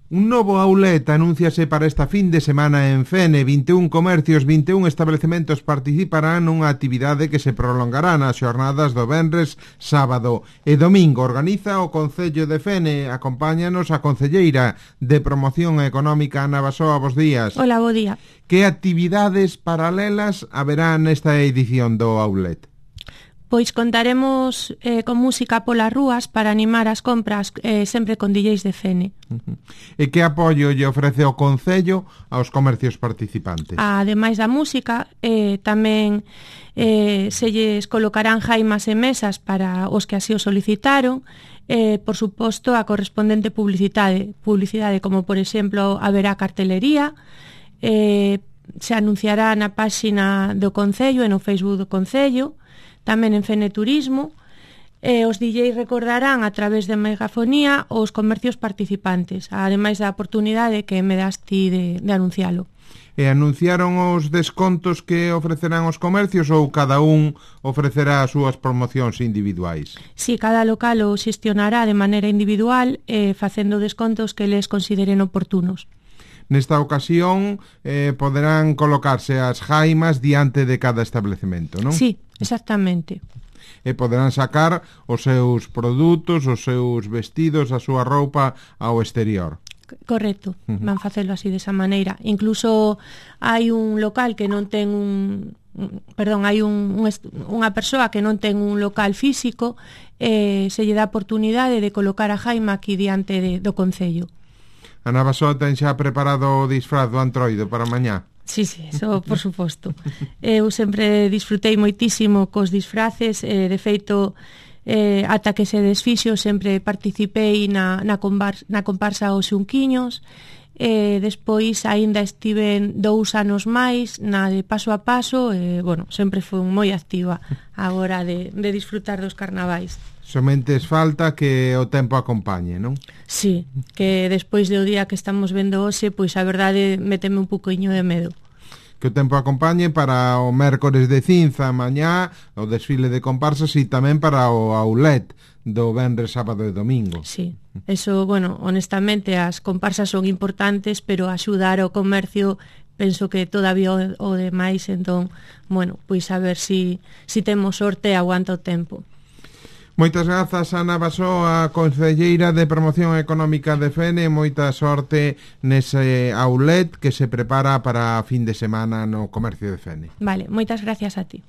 Un novo outlet anúnciase para esta fin de semana en Fene. 21 comercios, 21 establecementos participarán nunha actividade que se prolongará nas xornadas do venres, sábado e domingo. Organiza o Concello de Fene. Acompáñanos a concelleira de Promoción Económica, Ana Basoa. Bos días. Hola, bo día. Que actividades paralelas haberá nesta edición do outlet? Pois contaremos con música polas rúas para animar as compras sempre con DJs de Fene. E que apoio lle ofrece o Concello aos comercios participantes? Ademais da música, tamén se lles colocarán jaimas e mesas para os que así o solicitaron, por suposto a correspondente publicidade, como por exemplo haberá cartelería, se anunciará na páxina do Concello e no Facebook do Concello, tamén en Fene Turismo, os DJs recordarán a través de megafonía os comercios participantes, ademais da oportunidade que me das ti de anuncialo. E anunciaron os descontos que ofrecerán os comercios ou cada un ofrecerá as súas promocións individuais? Si, cada local o xestionará de maneira individual, facendo descontos que les consideren oportunos. Nesta ocasión poderán colocarse as jaimas diante de cada establecemento, non? Sí, exactamente. E poderán sacar os seus produtos, os seus vestidos, a súa roupa ao exterior. Correcto, van facelo así desa maneira. Incluso hai un local que non ten hai unha persoa que non ten un local físico, se lle dá oportunidade de colocar a jaima aquí diante do Concello. Ana Basoa ten xa preparado o disfraz do Antroido para mañá? Sí, eso por suposto. Eu sempre disfrutei moitísimo cos disfraces, de feito, ata que se desfixo sempre participei na comparsa Os Xunquiños, despois aínda estiven 2 anos máis na de Paso a Paso, sempre fui moi activa a hora de disfrutar dos carnavais. Somente falta que o tempo acompañe, non? Sí, que despois do día que estamos vendo hoxe, pois a verdade meteme un poquinho de medo. Que o tempo acompañe para o mércores de Cinza mañá, o desfile de comparsas e tamén para o outlet do venres, sábado e domingo. Sí, eso, honestamente as comparsas son importantes, pero axudar ao comercio penso que todavía o demais, entón, pois a ver si temos sorte e aguanta o tempo. Moitas grazas, Ana Basoa, concelleira de Promoción Económica de Fene. Moita sorte nese outlet que se prepara para a fin de semana no comercio de Fene. Vale, moitas gracias a ti.